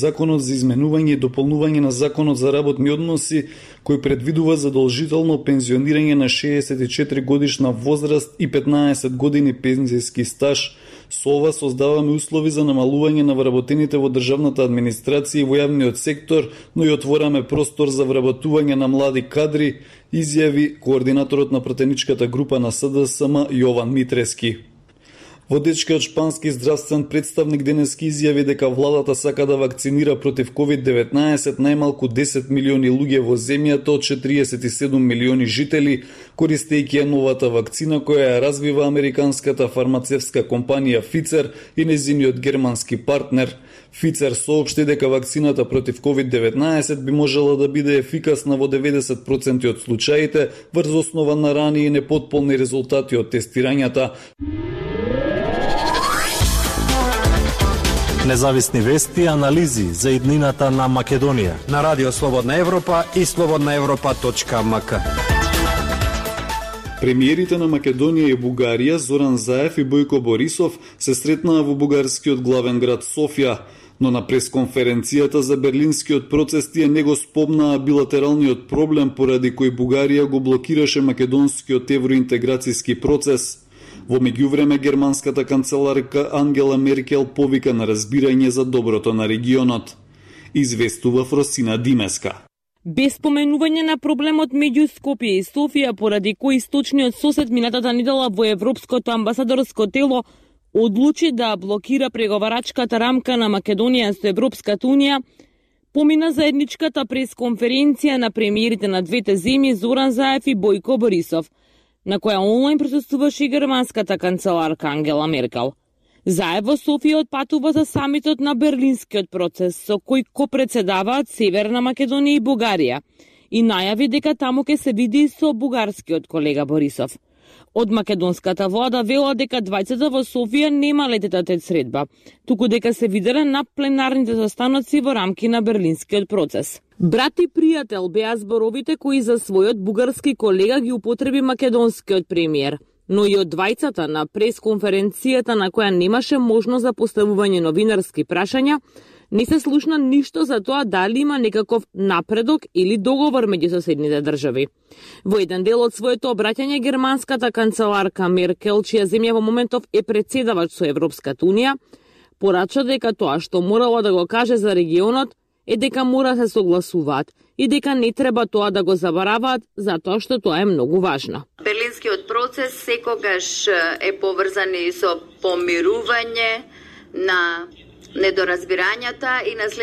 Законот за изменување и дополнување на Законот за работни односи, кој предвидува задолжително пензионирање на 64 годишна возраст и 15 години пензијски стаж. Со ова создаваме услови за намалување на вработените во државната администрација и во јавниот сектор, но и отвораме простор за вработување на млади кадри, изјави координаторот на пратеничката група на СДСМ Јован Митрески. Водечкиот шпански здравствен представник денески изјави дека владата сака да вакцинира против COVID-19 најмалку 10 милиони луѓе во земјата од 47 милиони жители, користејќи ја новата вакцина која ја развива американската фармацевтска компанија Pfizer и нејзиниот германски партнер. Pfizer соопшти дека вакцината против COVID-19 би можела да биде ефикасна во 90% од случаите врз основа на рани и непотполни резултати од тестирањата. Независни вести и анализи за иднината на Македонија на Радио Слободна Европа и slobodnaevropa.mk. Премиерите на Македонија и Бугарија Зоран Заев и Бојко Борисов се сретнаа во бугарскиот главен град Софија, но на пресконференцијата за берлинскиот процес тие не го спомнаа билатералниот проблем поради кој Бугарија го блокираше македонскиот евроинтеграцијски процес. Во меѓувреме, германската канцеларка Ангела Меркел повика на разбирање за доброто на регионот. Известува Фросина Димеска. Без споменување на проблемот меѓу Скопје и Софија, поради кој источниот сосед минатата недела во Европското амбасадорско тело одлучи да блокира преговарачката рамка на Македонија со Европската унија, помина заедничката пресконференција на премиерите на двете земји Зоран Заев и Бојко Борисов, на која онлайн присуствуваше и германската канцеларка Ангела Меркел. Заев во Софија отпатува за самитот на берлинскиот процес, со кој копредседаваат Северна Македонија и Бугарија, и најави дека таму ќе се види со бугарскиот колега Борисов. Од македонската влада вела дека двајцата во Софија нема лететата средба, туку дека се виделе на пленарните застаноци во рамки на берлинскиот процес. Брат и пријател беа зборовите кои за својот бугарски колега ги употреби македонскиот премиер, но и од двајцата на пресконференцијата на која немаше можност за поставување новинарски прашања, не се слушна ништо за тоа дали има некаков напредок или договор меѓу соседните држави. Во еден дел од своето обраќање, германската канцеларка Меркел, чија земја во моментов е председавач со Европската унија, порача дека тоа што морала да го каже за регионот е дека мора да се согласуваат и дека не треба тоа да го забораваат затоа што тоа е многу важно. Берлинскиот процес секогаш е поврзан и со помирување на недоразбирањата и наследство